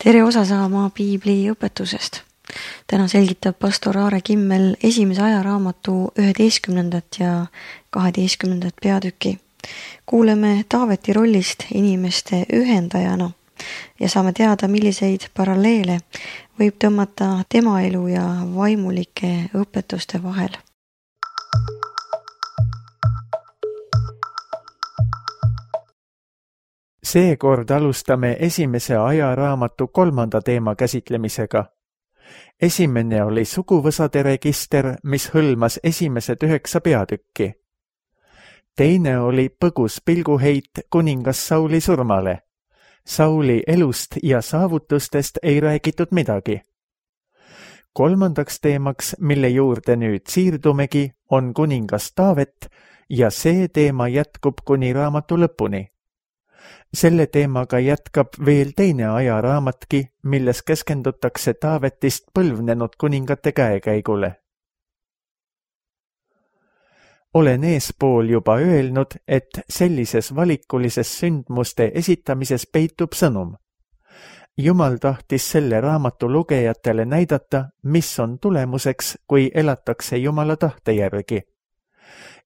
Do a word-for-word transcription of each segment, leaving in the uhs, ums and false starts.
Tere osa saama Piibli õpetusest. Täna selgitab pastor Aare Kimmel esimese ajaraamatu üheteistkümnendat ja kaheteistkümnendat peatükki. Kuuleme Taaveti rollist inimeste ühendajana ja saame teada, milliseid paralleele võib tõmmata tema elu ja vaimulike õpetuste vahel. Seekord alustame esimese ajaraamatu kolmanda teema käsitlemisega. Esimene oli suguvõsade register, mis hõlmas esimesed üheksa peatükki. Teine oli põgus pilguheit kuningas Sauli surmale. Sauli elust ja saavutustest ei räägitud midagi. Kolmandaks teemaks, mille juurde nüüd siirdumegi, on kuningas Taavet ja see teema jätkub kuni raamatu lõpuni. Selle teemaga jätkab veel teine ajaraamatki, milles keskendutakse Taavetist põlvnenud kuningate käekäigule. Olen eespool juba öelnud, et sellises valikulises sündmuste esitamises peitub sõnum. Jumal tahtis selle raamatu lugejatele näidata, mis on tulemuseks, kui elatakse Jumala tahte järgi.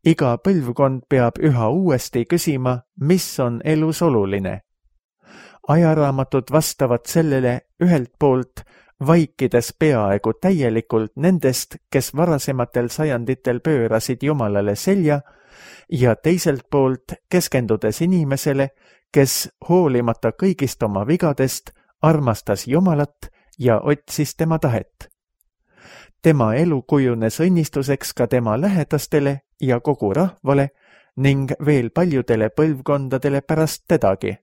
Iga põlvkond peab üha uuesti küsima, mis on elus oluline. Ajaraamatud vastavad sellele ühelt poolt, vaikides peaaegu täielikult nendest, kes varasematel sajanditel pöörasid Jumalale selja, ja teiselt poolt keskendudes inimesele, kes hoolimata kõigist oma vigadest armastas Jumalat ja otsis tema tahet. Tema elu kujunes õnnistuseks ka tema lähedastele ja kogu rahvale ning veel paljudele põlvkondadele pärast tedagi.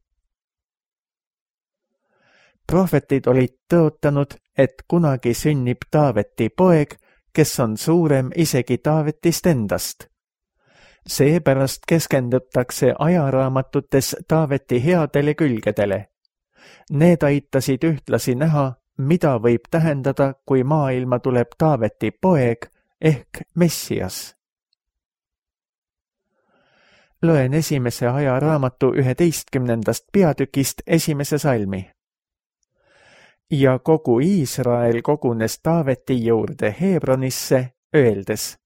Prohvetid olid tõotanud, et kunagi sünnib Taaveti poeg, kes on suurem isegi Taavetist endast. Seepärast keskendutakse ajaraamatutes Taaveti headele külgedele. Need aitasid ühtlasi näha, mida võib tähendada, kui maailma tuleb Taaveti poeg ehk Messias. Loen esimese ajaraamatu üheteistkümnendast peatükist esimese salmi. Ja kogu Iisrael kogunes Taaveti juurde Hebronisse, öeldes,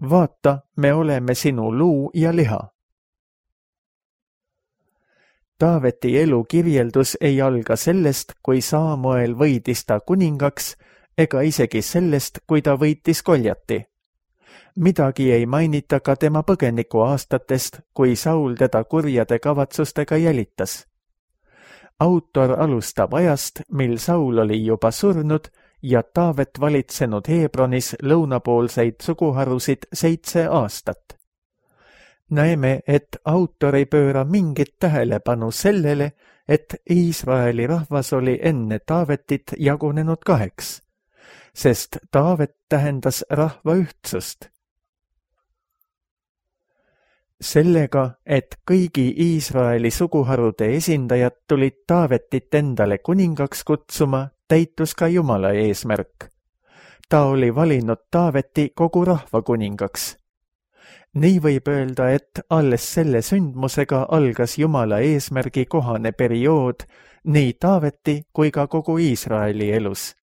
vaata, me oleme sinu luu ja liha. Taaveti elu kirjeldus ei alga sellest, kui Saamuel võidis ta kuningaks, ega isegi sellest, kui ta võitis Goljati. Midagi ei mainita ka tema põgeniku aastatest, kui Saul teda kurjade kavatsustega jälitas. Autor alustab ajast, mil Saul oli juba surnud ja Taavet valitsenud Hebronis lõunapoolseid suguharusid seitse aastat. Näeme, et autor ei pööra mingit tähelepanu sellele, et Iisraeli rahvas oli enne Taavetit jagunenud kaheks, sest Taavet tähendas rahva ühtsust. Sellega, et kõigi Iisraeli suguharude esindajad tulid Taavetit endale kuningaks kutsuma, täitus ka Jumala eesmärk. Ta oli valinud Taaveti kogu rahva kuningaks. Nii võib öelda, et alles selle sündmusega algas Jumala eesmärgi kohane periood nii Taaveti kui ka kogu Iisraeli elus.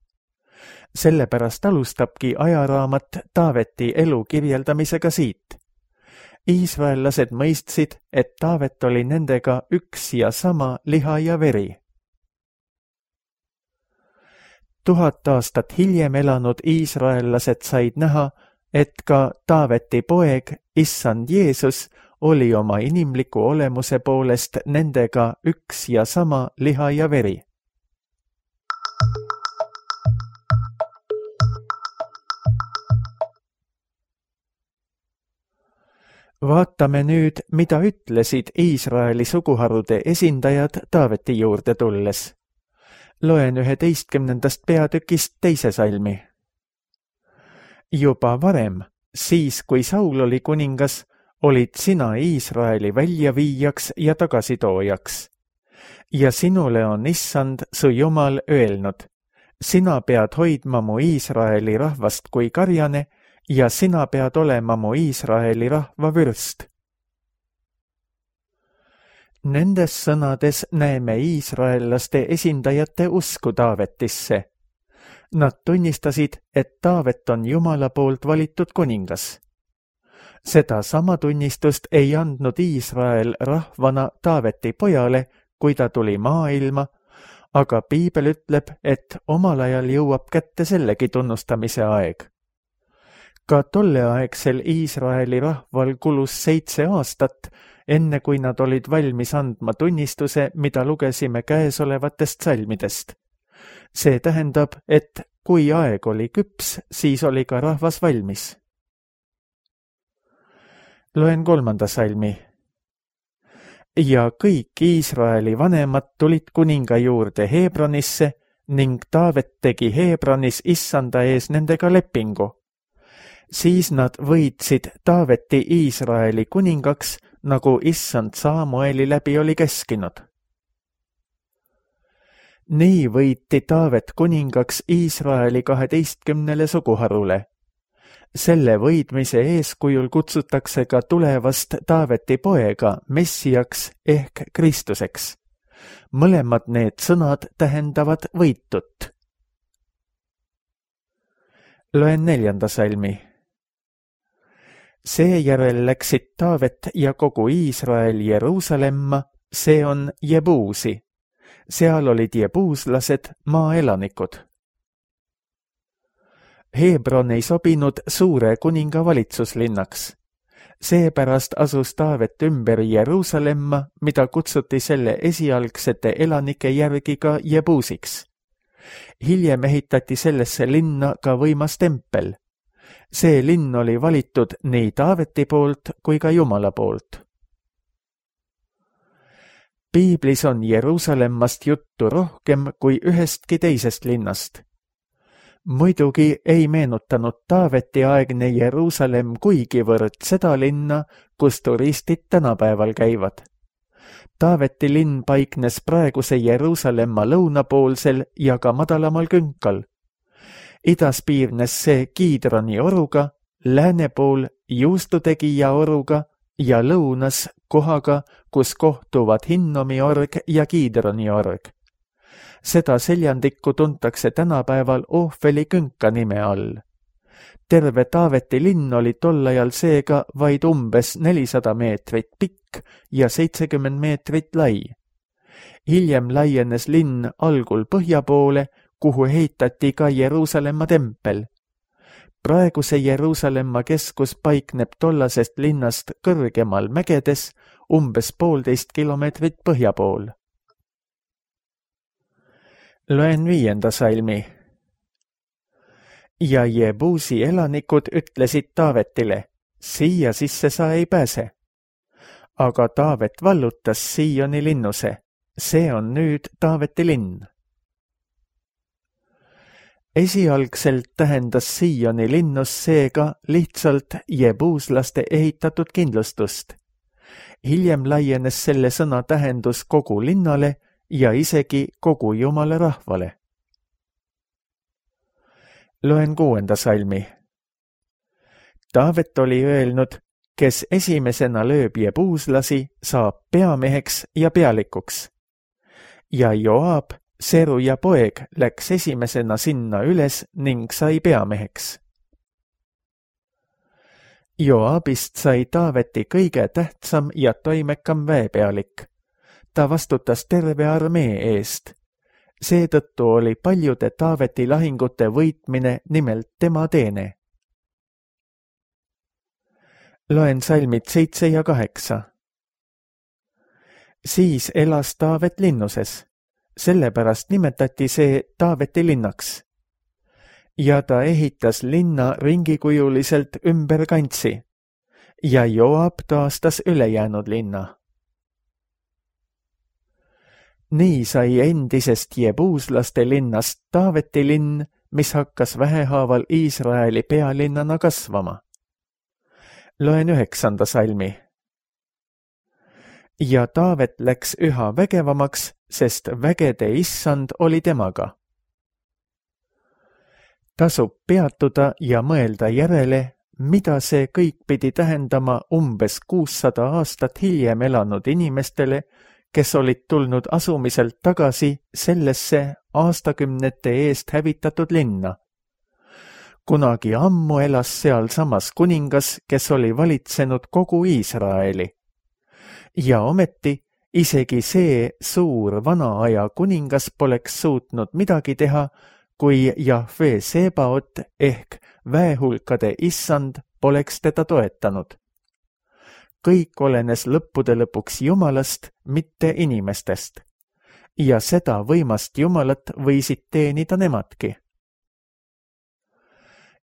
Sellepärast alustabki ajaraamat Taaveti elu kirjeldamisega siit. Iisraellased mõistsid, et Taavet oli nendega üks ja sama liha ja veri. Tuhat aastat hiljem elanud iisraellased said näha, et ka Taaveti poeg, issand Jeesus, oli oma inimliku olemuse poolest nendega üks ja sama liha ja veri. Vaatame nüüd, mida ütlesid Iisraeli suguharude esindajad Taaveti juurde tulles. Loen üheteistkümnendast peatükist teise salmi. Juba varem, siis kui Saul oli kuningas, olid sina Iisraeli väljaviijaks ja tagasitoojaks. Ja sinule on issand, su Jumal, öelnud, sina pead hoidma mu Iisraeli rahvast kui karjane ja sina pead olema mu Iisraeli rahva vürst. Nendes sõnades näeme iisraellaste esindajate usku Taavetisse. Nad tunnistasid, et Taavet on Jumala poolt valitud kuningas. Seda sama tunnistust ei andnud Iisrael rahvana Taaveti pojale, kui ta tuli maailma, aga piibel ütleb, et omal ajal jõuab kätte sellegi tunnustamise aeg. Ka tolleaegsel Iisraeli rahval kulus seitse aastat, enne kui nad olid valmis andma tunnistuse, mida lugesime käesolevatest salmidest. See tähendab, et kui aeg oli küps, siis oli ka rahvas valmis. Loen kolmanda salmi. Ja kõik Iisraeli vanemad tulid kuninga juurde Hebronisse ning Taavet tegi Hebronis issanda ees nendega lepingu. Siis nad võitsid Taaveti Iisraeli kuningaks, nagu issand Saamueli läbi oli keskinud. Nii võiti Taavet kuningaks Iisraeli kaheteistkümnele suguharule. Selle võidmise eeskujul kutsutakse ka tulevast Taaveti poega Messiaks ehk Kristuseks. Mõlemad need sõnad tähendavad võitut. Loen neljanda salmi. Seejärel läksid Taavet ja kogu Iisrael Jeruusalemma, see on Jebuusi. Seal olid jebuuslased, maaelanikud. Hebron ei sobinud suure kuninga valitsuslinnaks. Seepärast asus Taavet ümber Jeruusalemma, mida kutsuti selle esialgsete elanike järgi ka Jebuusiks. Hiljem ehitati sellesse linna ka võimas tempel. See linn oli valitud nii Taaveti poolt kui ka Jumala poolt. Piiblis on Jeruusalemmast juttu rohkem kui ühestki teisest linnast. Muidugi ei meenutanud Taaveti aegne Jeruusalemm kuigivõrd seda linna, kus turistid tänapäeval käivad. Taaveti linn paiknes praeguse Jeruusalemma lõunapoolsel ja ka madalamal künkal. Idas piirnes see Kiidroni oruga, lääne pool juustutegija oruga ja lõunas kohaga, kus kohtuvad Hinnomi org ja Kiidroni org. Seda seljandikku tuntakse tänapäeval Ohveli künka nime all. Terve Taaveti linn oli tol ajal seega vaid umbes nelisada meetrit pikk ja seitsekümmend meetrit lai. Hiljem laienes linn algul põhja poole, kuhu ehitati ka Jeruusalemma tempel. Praeguse Jeruusalemma keskus paikneb tollasest linnast kõrgemal mägedes, umbes poolteist kilomeetrit põhja pool. Loen viienda salmi. Ja Jebuusi elanikud ütlesid Taavetile, siia sisse sa ei pääse. Aga Taavet vallutas Sioni linnuse, see on nüüd Taaveti linn. Esialgselt tähendas Sioni linnus seega lihtsalt jebuuslaste ehitatud kindlustust. Hiljem laienes selle sõna tähendus kogu linnale ja isegi kogu Jumala rahvale. Loen kuuenda salmi. Taavet oli öelnud, kes esimesena lööb jebuuslasi, saab peameheks ja pealikuks. Ja Joab, Seruja poeg, läks esimesena sinna üles ning sai peameheks. Joabist sai Taaveti kõige tähtsam ja toimekam väepealik. Ta vastutas terve armee eest. Seetõttu oli paljude Taaveti lahingute võitmine nimelt tema teene. Loen salmid seitse ja kaheksa. Siis elas Taavet linnuses. Sellepärast nimetati see Taaveti linnaks. Ja ta ehitas linna ringikujuliselt ümber kantsi. Ja Joab taastas ülejäänud linna. Nii sai endisest jebuuslaste linnast Taaveti linn, mis hakkas vähehaaval Iisraeli pealinnana kasvama. Loen üheksanda salmi. Ja Taavet läks üha vägevamaks, sest vägede issand oli temaga. Tasub peatuda ja mõelda järele, mida see kõik pidi tähendama umbes kuussada aastat hiljem elanud inimestele, kes olid tulnud asumiselt tagasi sellesse aastakümnete eest hävitatud linna. Kunagi ammu elas sealsamas kuningas, kes oli valitsenud kogu Iisraeli. Ja ometi isegi see suur vana aja kuningas poleks suutnud midagi teha, kui Jahve Sebaot ehk väehulkade issand poleks teda toetanud. Kõik olenes lõppude lõpuks Jumalast, mitte inimestest. Ja seda võimast Jumalat võisid teenida nemadki.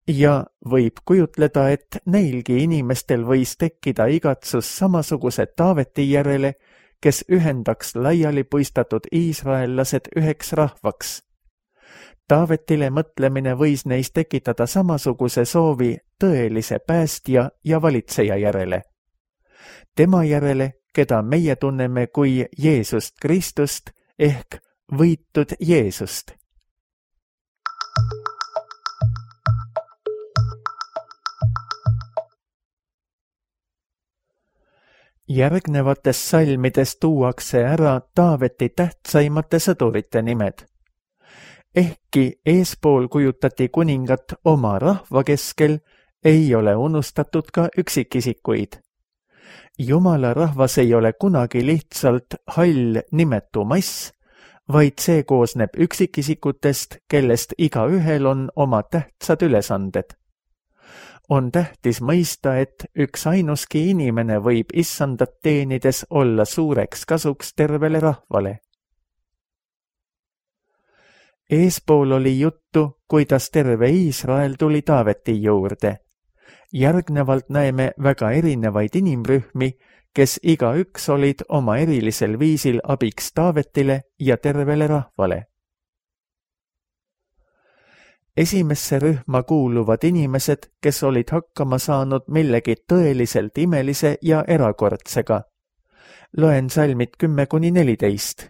Ja võib kujutleda, et neilgi inimestel võis tekkida igatsus samasuguse Taaveti järele, kes ühendaks laiali puistatud iisraellased üheks rahvaks. Taavetile mõtlemine võis neis tekitada samasuguse soovi tõelise päästja ja valitseja järele. Tema järele, keda meie tunneme kui Jeesust Kristust ehk võitud Jeesust. Järgnevates salmides tuuakse ära Taaveti tähtsaimate sõdurite nimed. Ehkki eespool kujutati kuningat oma rahva keskel, ei ole unustatud ka üksikisikuid. Jumala rahvas ei ole kunagi lihtsalt hall nimetu mass, vaid see koosneb üksikisikutest, kellest igaühel on oma tähtsad ülesanded. On tähtis mõista, et üks ainuski inimene võib issandat teenides olla suureks kasuks tervele rahvale. Eespool oli juttu, kuidas terve Iisrael tuli Taaveti juurde. Järgnevalt näeme väga erinevaid inimrühmi, kes igaüks olid oma erilisel viisil abiks Taavetile ja tervele rahvale. Esimesse rühma kuuluvad inimesed, kes olid hakkama saanud millegi tõeliselt imelise ja erakordsega. Loen salmid kümme kuni neliteist.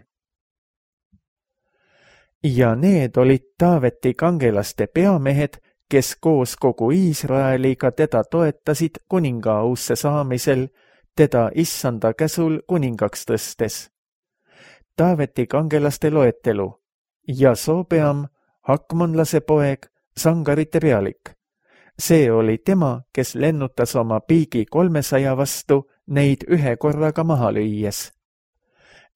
Ja need olid Taaveti kangelaste peamehed, kes koos kogu Iisraeliga teda toetasid kuningaausse saamisel, teda issanda käsul kuningaks tõstes. Taaveti kangelaste loetelu: Jasobeam, Hakmonlase poeg, sangarite pealik. See oli tema, kes lennutas oma piigi kolmesaja vastu neid ühe korraga maha lüües.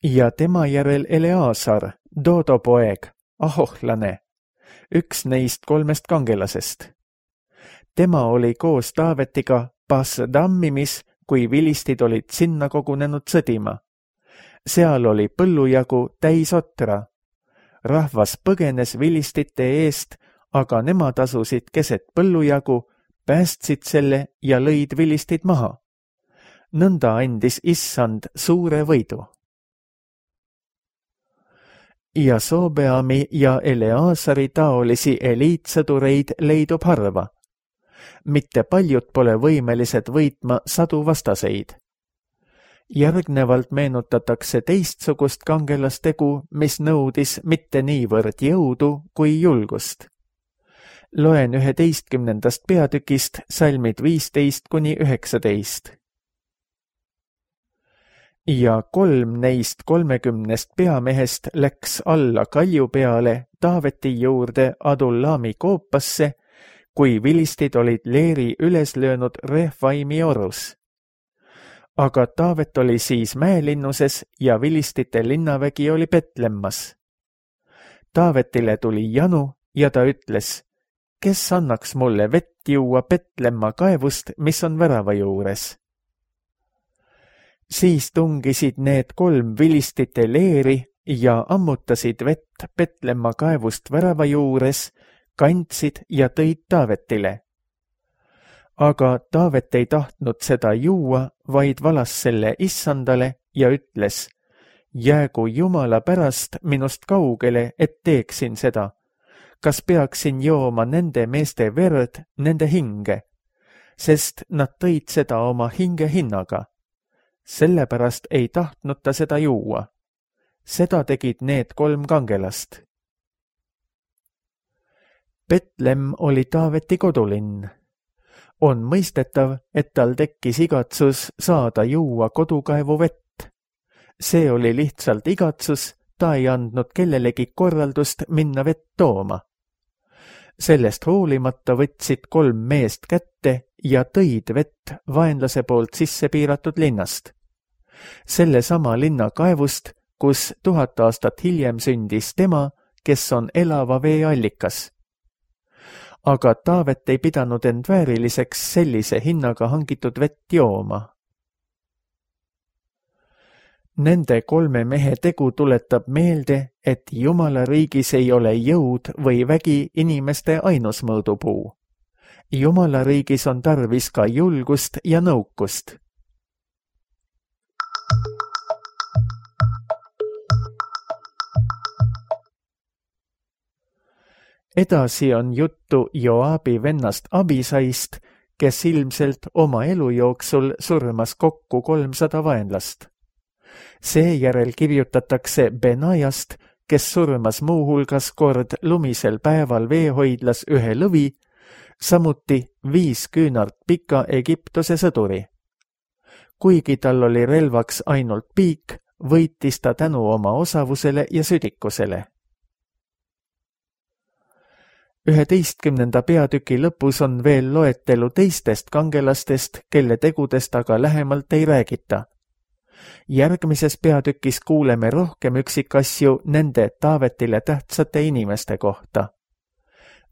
Ja tema järel Eleasar, Dodo poeg, ahohlane, üks neist kolmest kangelasest. Tema oli koos Taavetiga Pas-Dammimis, kui vilistid olid sinna kogunenud sõdima. Seal oli põllujagu täis otra. Rahvas põgenes vilistite eest, aga nemad asusid keset põllujagu, päästsid selle ja lõid vilistid maha. Nõnda andis issand suure võidu. Jasobeami ja Eleasari taolisi eliitsõdureid leidub harva. Mitte paljud pole võimelised võitma sadu vastaseid. Järgnevalt meenutatakse teistsugust kangelastegu, mis nõudis mitte niivõrd jõudu kui julgust. Loen üheteistkümnendast peatükist salmid viisteist kuni üheksateist. Ja kolm neist kolmekümnest peamehest läks alla kalju peale Taaveti juurde Adullami koopasse, kui vilistid olid leeri üles löönud Refaimi orus. Aga Taavet oli siis mäelinnuses ja vilistite linnavägi oli Petlemmas. Taavetile tuli janu ja ta ütles: kes annaks mulle vett juua Petlemma kaevust, mis on värava juures? Siis tungisid need kolm vilistite leeri ja ammutasid vett Petlemma kaevust värava juures, kandsid ja tõid Taavetile. Aga Taavet ei tahtnud seda juua, vaid valas selle issandale ja ütles: jäägu Jumala pärast minust kaugele, et teeksin seda. Kas peaksin jooma nende meeste verd, nende hinge? Sest nad tõid seda oma hinge hinnaga. Sellepärast ei tahtnud ta seda juua. Seda tegid need kolm kangelast. Betlem oli Taaveti kodulinn. On mõistetav, et tal tekkis igatsus saada juua kodukaevu vett. See oli lihtsalt igatsus, ta ei andnud kellelegi korraldust minna vett tooma. Sellest hoolimata võtsid kolm meest kätte ja tõid vett vaenlase poolt sisse piiratud linnast. Selle sama linna kaevust, kus tuhat aastat hiljem sündis tema, kes on elava vee allikas. Aga Taavet ei pidanud end vääriliseks sellise hinnaga hangitud vett jooma. Nende kolme mehe tegu tuletab meelde, et Jumala riigis ei ole jõud või vägi inimeste ainus mõõdupuu. Jumala riigis on tarvis ka julgust ja nõukust. Edasi on juttu Joabi vennast Abisaist, kes ilmselt oma elu jooksul surmas kokku kolmsada vaenlast. Seejärel kirjutatakse Benajast, kes surmas muuhulgas kord lumisel päeval veehoidlas ühe lõvi, samuti viis küünart pika Egiptuse sõduri. Kuigi tal oli relvaks ainult piik, võitis ta tänu oma osavusele ja südikusele. üheteistkümnenda peatüki lõpus on veel loetelu teistest kangelastest, kelle tegudest aga lähemalt ei räägita. Järgmises peatükis kuuleme rohkem üksikasju nende Taavetile tähtsate inimeste kohta.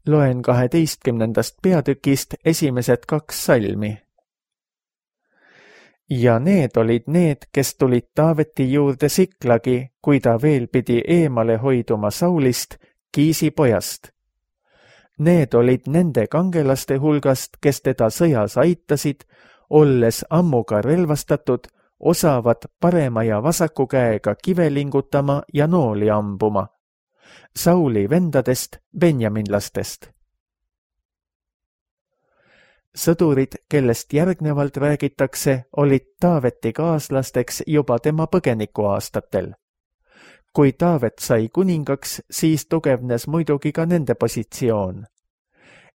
Loen kaheteistkümnendast peatükist esimesed kaks salmi. Ja need olid need, kes tulid Taaveti juurde Siklagi, kui ta veel pidi eemale hoiduma Saulist, Kiisi pojast. Need olid nende kangelaste hulgast, kes teda sõjas aitasid, olles ammuga relvastatud, osavad parema ja vasaku käega kive lingutama ja nooli ambuma. Sauli vendadest, benjaminlastest. Sõdurid, kellest järgnevalt räägitakse, olid Taaveti kaaslasteks juba tema põgenikuaastatel. Kui Taavet sai kuningaks, siis tugevnes muidugi ka nende positsioon.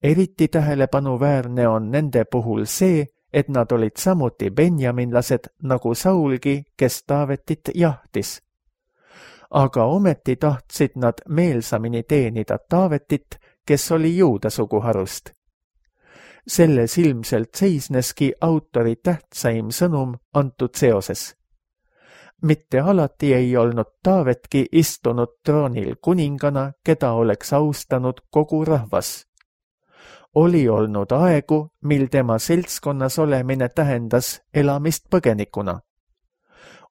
Eriti tähelepanuväärne on nende puhul see, et nad olid samuti benjaminlased nagu Saulgi, kes Taavetit jahtis. Aga ometi tahtsid nad meelsamini teenida Taavetit, kes oli juuda suguharust. Selles ilmselt seisneski autori tähtsaim sõnum antud seoses. Mitte alati ei olnud Taavetki istunud troonil kuningana, keda oleks austanud kogu rahvas. Oli olnud aegu, mil tema seltskonnas olemine tähendas elamist põgenikuna.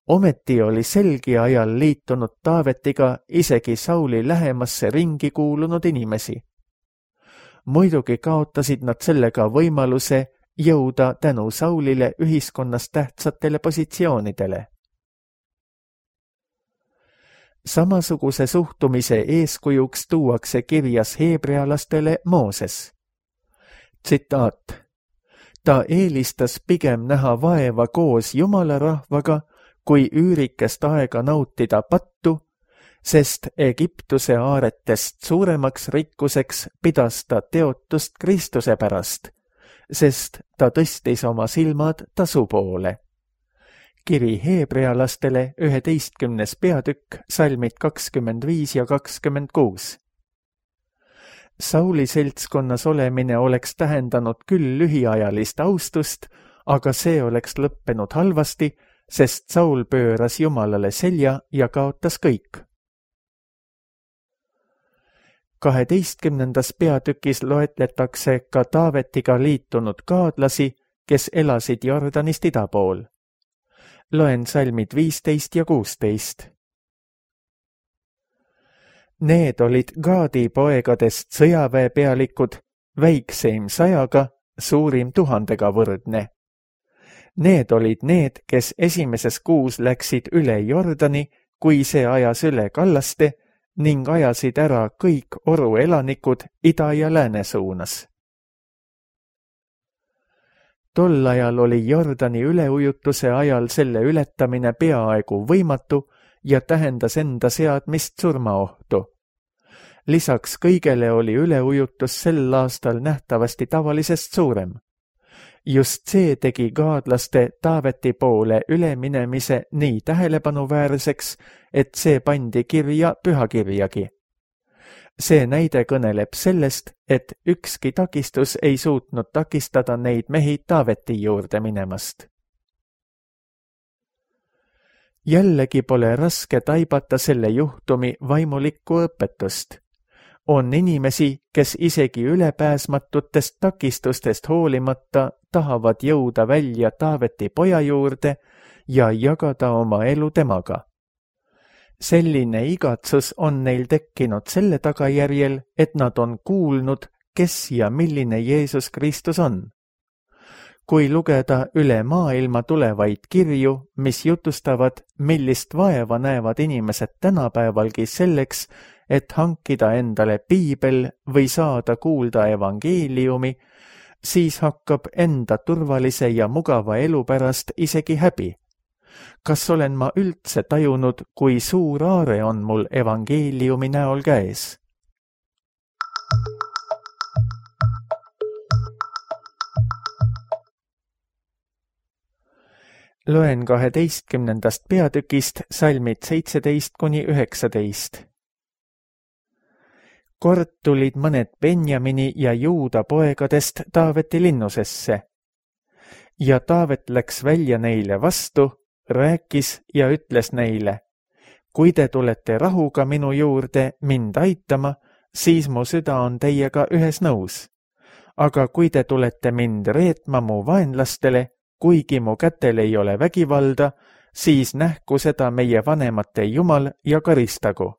Ometi oli selgi ajal liitunud Taavetiga isegi Sauli lähemasse ringi kuulunud inimesi. Muidugi kaotasid nad sellega võimaluse jõuda tänu Saulile ühiskonnas tähtsatele positsioonidele. Samasuguse suhtumise eeskujuks tuuakse kirjas heebrealastele Mooses. Tsitaat. Ta eelistas pigem näha vaeva koos Jumala rahvaga, kui üürikest aega nautida pattu, sest Egiptuse aaretest suuremaks rikkuseks pidas ta teotust Kristuse pärast, sest ta tõstis oma silmad tasu poole. Kiri heebrealastele üheteistkümnes peatükk, salmid kakskümmend viis ja kakskümmend kuus. Sauli seltskonnas olemine oleks tähendanud küll lühiajalist austust, aga see oleks lõppenud halvasti, sest Saul pööras Jumalale selja ja kaotas kõik. kaheteistkümnendas peatükis loetletakse ka Taavetiga liitunud kaadlasi, kes elasid Jordanist ida pool. Loen salmid viisteist ja kuusteist. Need olid Gaadi poegadest sõjaväepealikud, väikseim sajaga, suurim tuhandega võrdne. Need olid need, kes esimeses kuus läksid üle Jordani, kui see ajas üle kallaste, ning ajasid ära kõik oru elanikud ida ja lääne suunas. Tol ajal oli Jordani üleujutuse ajal selle ületamine peaaegu võimatu ja tähendas enda seadmist surmaohtu. Lisaks kõigele oli üleujutus sel aastal nähtavasti tavalisest suurem. Just see tegi gaadlaste Taaveti poole üleminemise nii tähelepanuväärseks, et see pandi kirja pühakirjagi. See näide kõneleb sellest, et ükski takistus ei suutnud takistada neid mehi Taaveti juurde minemast. Jällegi pole raske taibata selle juhtumi vaimulikku õpetust. On inimesi, kes isegi ülepääsmatutest takistustest hoolimata tahavad jõuda välja Taaveti poja juurde ja jagada oma elu temaga. Selline igatsus on neil tekkinud selle tagajärjel, et nad on kuulnud, kes ja milline Jeesus Kristus on. Kui lugeda üle maailma tulevaid kirju, mis jutustavad, millist vaeva näevad inimesed tänapäevalgi selleks, et hankida endale piibel või saada kuulda evangeeliumi, siis hakkab enda turvalise ja mugava elu pärast isegi häbi. Kas olen ma üldse tajunud, kui suur aare on mul evangeeliumi näol käes? Loen kaheteistkümnendast peatükist salmid seitseteist kuni üheksateist. Kord tulid mõned Benjamini ja Juuda poegadest Taaveti linnusesse. Ja Taavet läks välja neile vastu, rääkis ja ütles neile, kui te tulete rahuga minu juurde mind aitama, siis mu süda on teiega ühes nõus. Aga kui te tulete mind reetma mu vaenlastele, kuigi mu kätel ei ole vägivalda, siis nähku seda meie vanemate Jumal ja karistagu.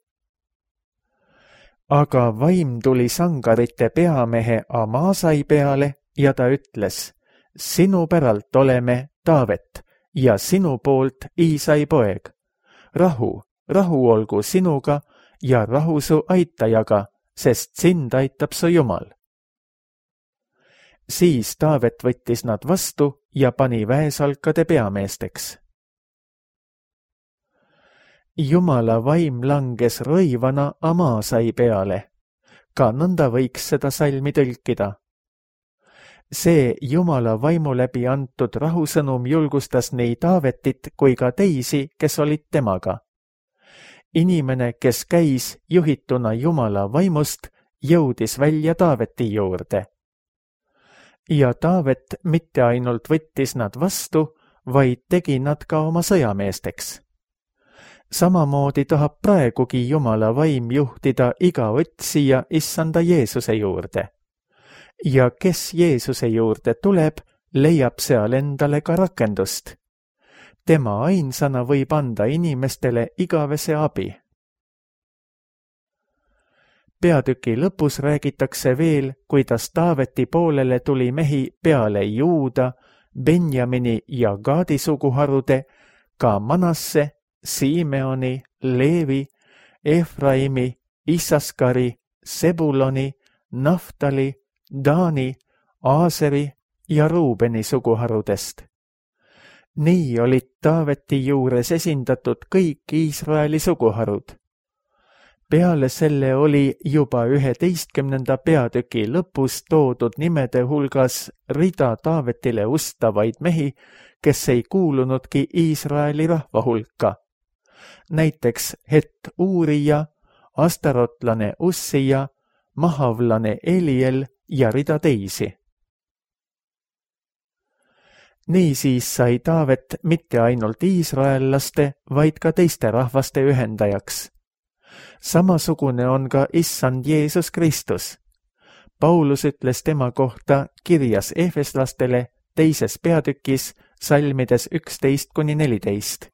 Aga vaim tuli sangarite peamehe Amasai peale ja ta ütles, sinu päralt oleme Taavet ja sinu poolt Iisai poeg. Rahu, rahu olgu sinuga ja rahu su aitajaga, sest sind aitab su Jumal. Siis Taavet võttis nad vastu ja pani väesalkade peameesteks. Jumala vaim langes rõivana Amasai peale. Ka nõnda võiks seda salmi tõlkida. See Jumala vaimu läbi antud rahusõnum julgustas nii Taavetit kui ka teisi, kes olid temaga. Inimene, kes käis juhituna Jumala vaimust, jõudis välja Taaveti juurde. Ja Taavet mitte ainult võttis nad vastu, vaid tegi nad ka oma sõjameesteks. Samamoodi tahab praegugi Jumala vaim juhtida iga otsija issanda Jeesuse juurde. Ja kes Jeesuse juurde tuleb, leiab seal endale ka rakendust. Tema ainsana võib anda inimestele igavese abi. Peatüki lõpus räägitakse veel, kuidas Taaveti poolele tuli mehi peale Juuda, Benjamini ja Gaadi suguharude, ka Manasse, Simeoni, Leevi, Efraimi, Issaskari, Sebuloni, Naftali, Daani, Aaseri ja Ruubeni suguharudest. Nii olid Taaveti juures esindatud kõik Iisraeli suguharud. Peale selle oli juba üheteistkümnenda peatüki lõpus toodud nimede hulgas rida Taavetile ustavaid mehi, kes ei kuulunudki Iisraeli rahva hulka. Näiteks Het Uurija, astarotlane Ussija, mahavlane Eliel ja rida teisi. Niisiis sai Taavet mitte ainult iisraellaste, vaid ka teiste rahvaste ühendajaks. Samasugune on ka issand Jeesus Kristus. Paulus ütles tema kohta kirjas Efeslastele teises peatükis salmides üksteist kuni neliteist.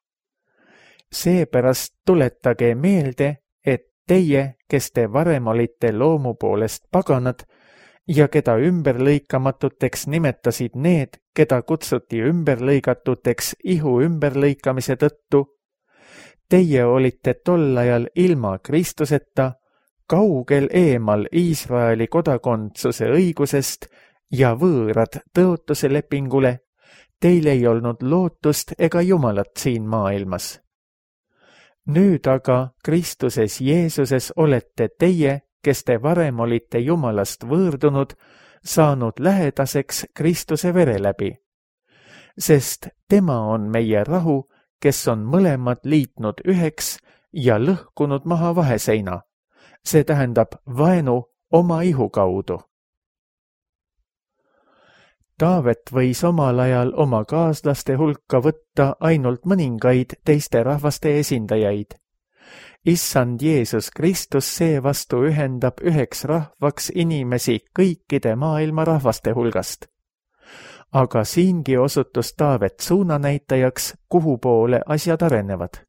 Seepärast tuletage meelde, et teie, kes te varem olite loomu poolest paganad ja keda ümberlõikamatuteks nimetasid need, keda kutsuti ümberlõigatuteks ihu ümberlõikamise tõttu, teie olite tol ajal ilma Kristuseta, kaugel eemal Iisraeli kodakondsuse õigusest ja võõrad tõotuse lepingule, teil ei olnud lootust ega Jumalat siin maailmas. Nüüd aga Kristuses Jeesuses olete teie, kes te varem olite Jumalast võõrdunud, saanud lähedaseks Kristuse vere läbi. Sest tema on meie rahu, kes on mõlemad liitnud üheks ja lõhkunud maha vaheseina. See tähendab vaenu oma ihu kaudu. Taavet võis omal ajal oma kaaslaste hulka võtta ainult mõningaid teiste rahvaste esindajaid. Issand Jeesus Kristus seevastu ühendab üheks rahvaks inimesi kõikide maailma rahvaste hulgast. Aga siingi osutus Taavet suunanäitajaks, kuhu poole asjad arenevad.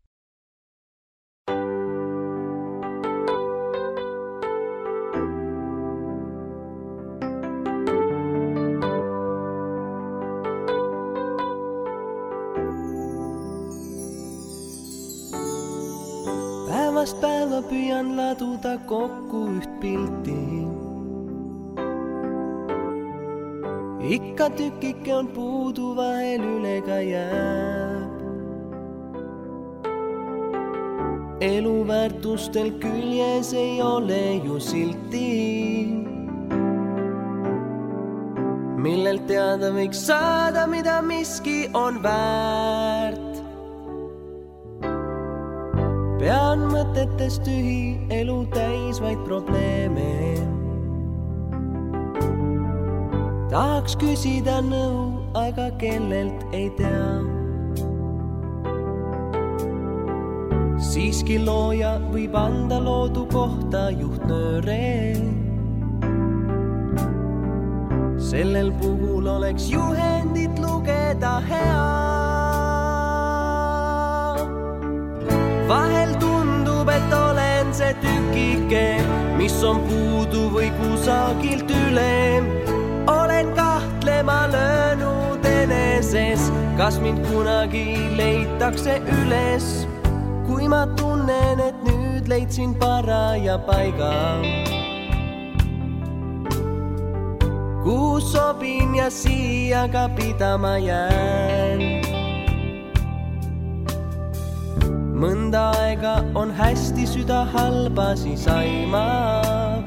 Päevast päeva püüan laduda kokku üht pilti. Ikka tükike on puudu, vahel üle ka jääb. Eluväärtustel küljes ei ole ju silti, millelt teada võiks saada, mida miski on väärt. Pean mõtetest tühi, elu täis vaid probleeme. Tahaks küsida nõu, aga kellelt ei tea. Siiski looja võib anda loodu kohta juhtnööre. Sellel puhul oleks juhendit lugeda hea. Vahel tundub, et olen see tükike, mis on puudu või kusagilt üle. Olen kahtlema löönud eneses, kas mind kunagi leitakse üles. Kui ma tunnen, et nüüd leidsin paraja paiga, kuhu sobin ja siia ka pidama jään. Mõnda aega on hästi, süda halba siis aimab.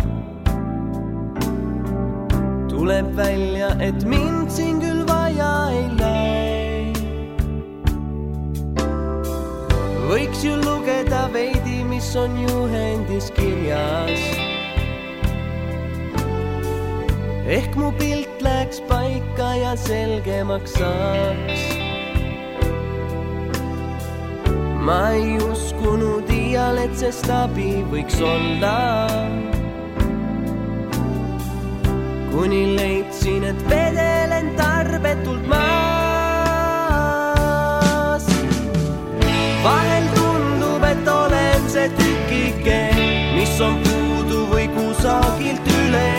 Tuleb välja, et mind siin küll vaja ei läi. Võiks ju lugeda veidi, mis on juhendis kirjas. Ehk mu pilt läks paika ja selgemaks saaks. Ma ei uskunud iial, et sest abi võiks olla. Kuni leidsin, et vedelen tarbetult maas. Vahel tundub, et olen see tükike, mis on puudu või kusagilt üle.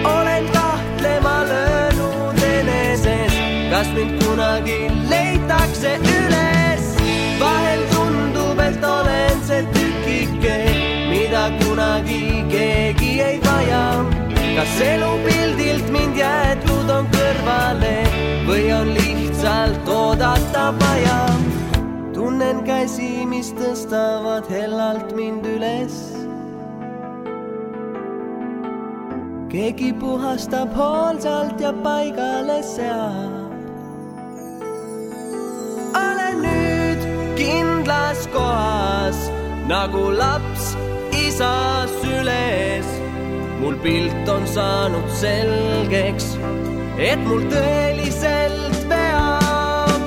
Olen kahtlema löönud eneses, kas mind kunagi leitakse üles. Vahel tundub, et olen see tükike, mida kunagi keegi ei vaja. Kas elupildilt mind jäetud on kõrvale või on lihtsalt oodata vaja? Tunnen käsi, mis tõstavad hellalt mind üles. Keegi puhastab hoolsalt ja paigale seab. Olen nüüd kindlas kohas, nagu laps isa süles. Mul pilt on saanud selgeks, et mul tõeliselt veab.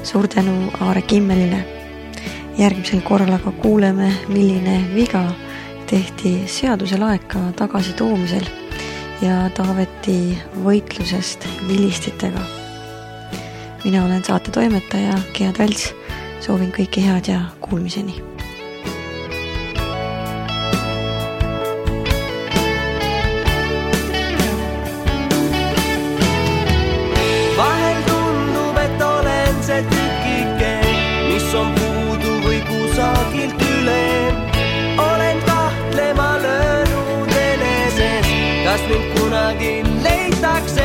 Suur tänu Aare Kimmelile. Järgmisel korral aga kuuleme, milline viga tehti seaduse laeka tagasi toomisel ja Taaveti võitlusest vilistitega. Mina olen saate toimetaja Gea Trälts. Soovin kõike head ja kuulmiseni. On puudu või kusagilt üle. Olen kahtlema löönud eneses, kas mind kunagi leitakse